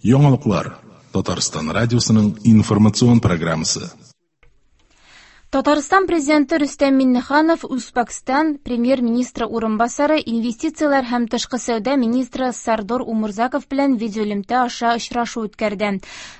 Яңалыклар Татарстан радиосының информацион программасы. Татарстан Президенты Рөстәм Миңнеханов Үзбәкстан премьер-министры урынбасары, инвестицияләр һәм тышкы сәүдә министры Сардор Умурзаков белән видеоэлемтә аша очрашу үткәрде.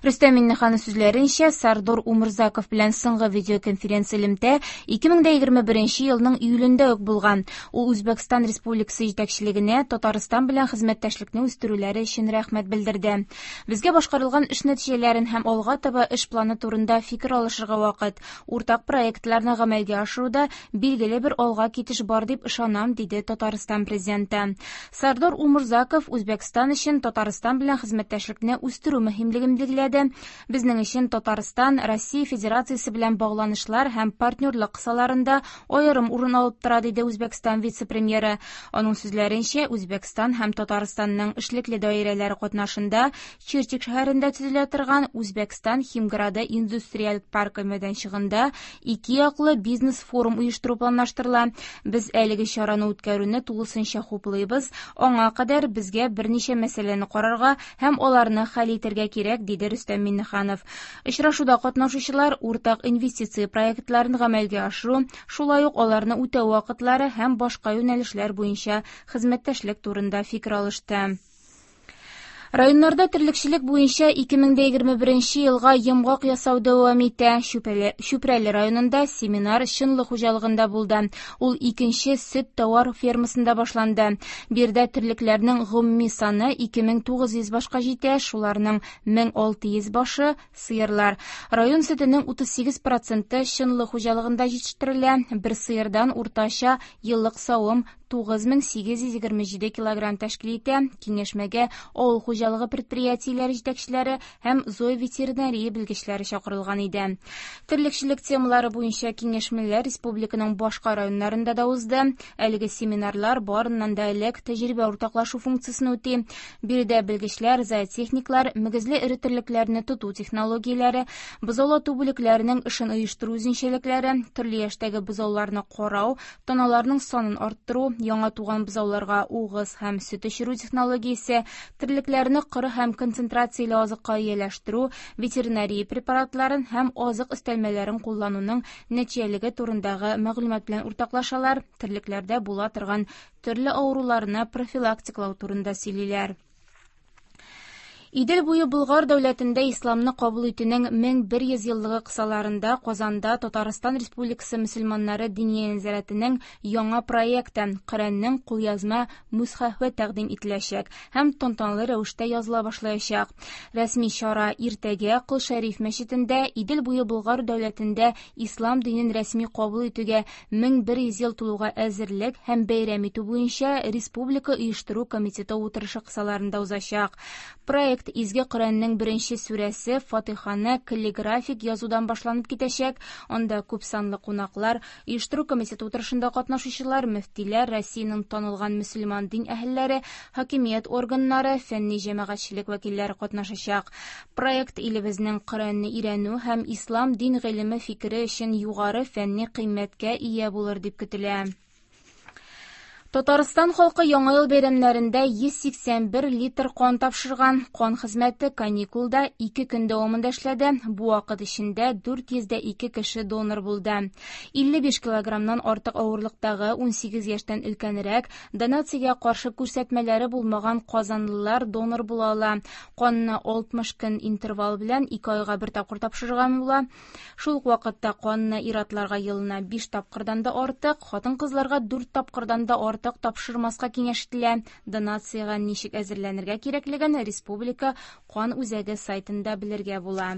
Рөстәм Миңнеханов сүзләренчә, Сардор Умурзаков белән соңгы видеоконференц элемтә 2021 елның июлендә үк булган. Ул Үзбәкстан Республикасы җитәкчелегенә Татарстан белән хезмәттәшлекне үстерүләре өчен рәхмәт белдерде. Безгә башкарылган эш нәтиҗәләрен һәм алга таба эш планы турында фикер алышырга вакыт. Уртак проектларны гамәлгә ашыруда билгеле бер алга китеш бар дип ышанам, диде Татарстан президенты. Сардор Умурзаков Үзбәкстан өчен Татарстан белән хезмәттәшлекне үстерү мөһимлеген билгеләде. Безнең өчен Татарстан Россия Федерациясе белән багланышлар һәм партнерлык кысаларында аерым урын алып тора, диде Үзбәкстан вице-премьеры. Аның сүзләренчә, Үзбәкстан һәм Татарстанның эшлекле даирәләре катнашында Чирчик шәһәрендә төзелә торган Үзбәкстан Химграды индустриаль паркы мәйданчыгында ике яклы бизнес-форум оештыру планлаштырыла. Без әлеге чараны үткәрүне тулысынча хуплыйбыз. Аңа кадәр безгә берничә мәсьәләне карарга һәм аларны хәл итәргә кирәк, диде Рөстәм Миңнеханов. Очрашуда катнашучылар уртак инвестиция проектларын гамәлгә ашыру, шулай ук аларны үтәү вакытлары һәм башка юнәлешләр буенча хезмәттәшлек турында фикер алышты. Районнарда терлекчелек буенча 2021 елга йомгак ясау дәвам итә. Чүпрәле районында семинар Чынлы хуҗалыгында булды. Ул икенче сөт товар фермасында башланды. Биредә терлекләрнең гомуми саны 2900 башка җитә, шуларның 1600 башы сыерлар. Район сөтенең 38% Чынлы хуҗалыгында җитештерелә. Бер сыердан уртача еллык савым 9827 килограмм тәшкил итә. Киңәшмәгә авыл хуҗалыгы предприятиеләре җитәкчеләре һәм зооветеринария белгечләре чакырылган иде. Терлекчелек темалары буенча киңәшмәләр республиканың башка районнарында да узды. Әлеге семинарлар барыннан да элек тәҗрибә уртаклашу функциясен үти. Биредә белгечләр, зоотехниклар, мөгезле эре терлекләрне тоту технологияләре, бозаулату бүлекләренең эшен оештыру үзенчәлекләре, төрле яшьтәге бозауларны карау, таналарның санын арттыру, яңа туган бозауларга угыз һәм сөт эчерү технологиясе, терлекләрне коры һәм концентрацияле азыкка ияләштерү, ветеринария препаратларын һәм азык өстәлмәләрен куллануның нәтиҗәлеге турындагы мәгълүмат белән уртаклашалар, терлекләрдә була торган төрле авыруларны профилактикалау турында сөйлиләр. Идел буе Болгар дәүләтендә исламны кабул итүнең 1100 еллыгы кысаларында Казанда Татарстан Республикасы мөселманнары диния нәзарәтенең яңа проекты Коръәннең кулъязма мусхафы тәкъдим ителәчәк һәм тантаналы рәвештә языла башлаячак. Рәсми чара иртәгә Кол Шәриф мәчетендә Идел буе Болгар дәүләтендә ислам динен рәсми кабул итүгә 1100 ел тулуга әзерлек һәм бәйрәм итү буенча Республика оештыру комитеты утырышы кысаларында узачак. Проект Изге Коръәннең беренче сүрәсе Фатиханы каллиграфик язудан башланып китәчәк. Анда күп санлы кунаклар, оештыру комитеты утырышында катнашучылар, мөфтиләр, Россиянең танылган мөселман дин әһелләре, хакимият органнары, фәнни җәмәгатьчелек вәкилләре катнашачак. Проект илебезнең Коръәнне өйрәнү һәм ислам дин гыйлеме фикере өчен югары фәнни кыйммәткә ия булыр дип көтелә. Татарстан халкы Яңа ел бәйрәмнәрендә 181 литр кан тапшырган. Кан хезмәте каникулда 2 көн дәвамында эшләде. Бу вакыт эчендә 402 кеше донор булды. 55 килограммнан артык авырлыктагы 18 яшьтән өлкәнрәк донациягә каршы күрсәтмәләре булмаган казанлылар донор була ала. Канны 60 көн интервал белән 2 айга бер тапкыр тапшырырга була. Шул ук вакытта канны ир-атларга елына 5 тапкырдан да артык, хатын-кызларга 4 тапкырдан да артык тапшырмаска киңәш ителә. Донациягә ничек әзерләнергә кирәклеген Республика кан үзәге сайтында белергә була.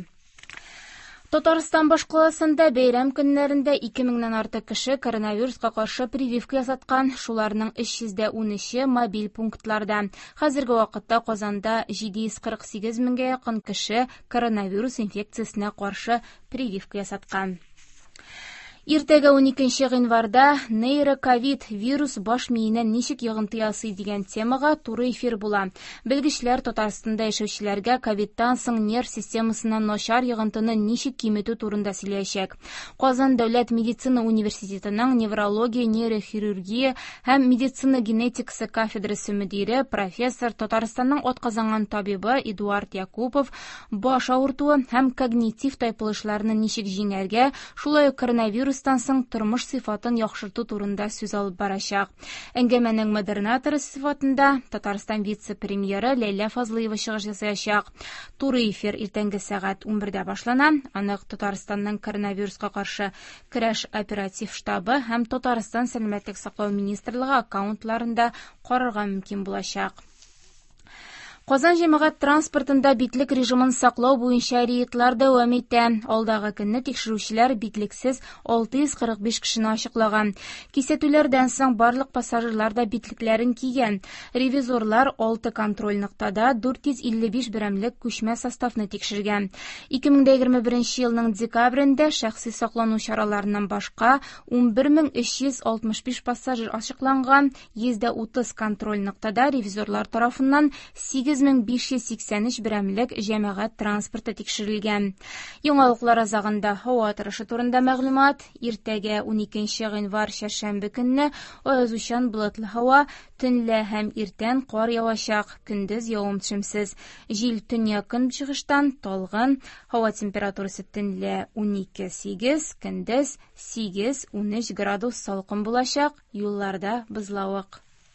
Татарстан башкаласында бәйрәм көннәрендә 2000-нән артык кеше коронавируска каршы прививка ясаткан, шуларның 313-е мобиль пунктларда. Хәзерге вакытта Казанда 748 меңгә якын кеше коронавирус инфекциясенә каршы прививка ясаткан. Иртәгә 12 гыйнварда нейроковид вирус баш миенә ничек йогынты ясый дигән темага туры эфир була. Белгечләр Татарстанда яшәүчеләргә ковидтан соң нерв системасына начар йогынтыны ничек киметү турында сөйләячәк. Казан дәүләт медицина университетының неврология, нейрохирургия һәм медицина генетикасы кафедрасы мөдире, профессор, Татарстанның атказанган табибы Эдуард Якупов баш авыртуы һәм когнитив тайпылышларны ничек җиңәргә, шулай ук коронавирустан соң тормыш сыйфатын яхшырту турында сүз алып барачак. Әңгәмәнең модераторы сыйфатында Татарстан вице-премьеры Ләйлә Фазлыева чыгыш ясаячак. Туры эфир иртәнге сәгать 11-дә башлана. Аны Татарстанның коронавируска каршы көрәш оператив штабы һәм Татарстан сәламәтлек саклау министрлыгы аккаунтларында карарга мөмкин булачак. Казан җәмәгать транспортында битлек режимын саклау буенча рейдлар дәвам итә. Алдагы көнне тикшерүчеләр битлексез 645 кешене ачыклаган. Кисәтүләрдән соң барлык пассажирлар да битлекләрен кигән. Ревизорлар 6 контроль ноктада 455 берәмлек күчмә составны тикшергән. 2021 елның декабрендә шәхси саклану чараларыннан башка 11365 пассажир ачыкланган. 130 контроль ноктада ревизорлар тарафыннан 8583 берәмлек җәмәгать транспорты тикшерелгән. Яңалыклар азагында һава торышы турында мәгълүмат. Иртәгә 12 гыйнвар чәршәмбе көнне аязучан болытлы һава, төнлә һәм иртән кар явачак, көндез явым-төшемсез. Җил төньяк-көнчыгыштан талгын, һава температурасы төнлә 12-8, көндез 8-13 градус салкын булачак, юлларда бозлавык.